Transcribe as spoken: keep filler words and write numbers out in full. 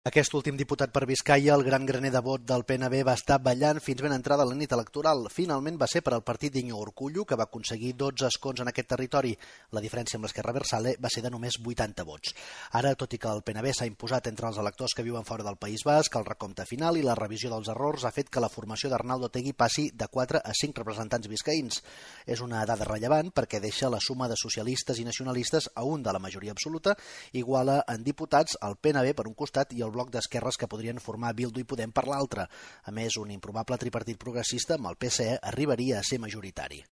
Aquest últim diputat per Biscaia, el gran graner de vot del P N B, va estar ballant fins ben entrada la nit electoral. Finalment va ser per al partit d'Iñigo Urkullu, que va aconseguir dotze escons en aquest territori. La diferència amb l'Esquerra Abertzale va ser de només vuitanta vots. Ara, tot i que el P N B s'ha imposat entre els electors que viuen fora del País Basc, el recompte final i la revisió dels errors ha fet que la formació d'Arnaldo Otegi passi de quatre a cinc representants biscaïns. És una dada rellevant perquè deixa la suma de socialistes i nacionalistes a un de la majoria absoluta, iguala en diputats el P N B per un costat i el bloc d'esquerres que podrien formar Bildu i Podem per l'altre. A més, un improbable tripartit progressista amb el P S E arribaria a ser majoritari.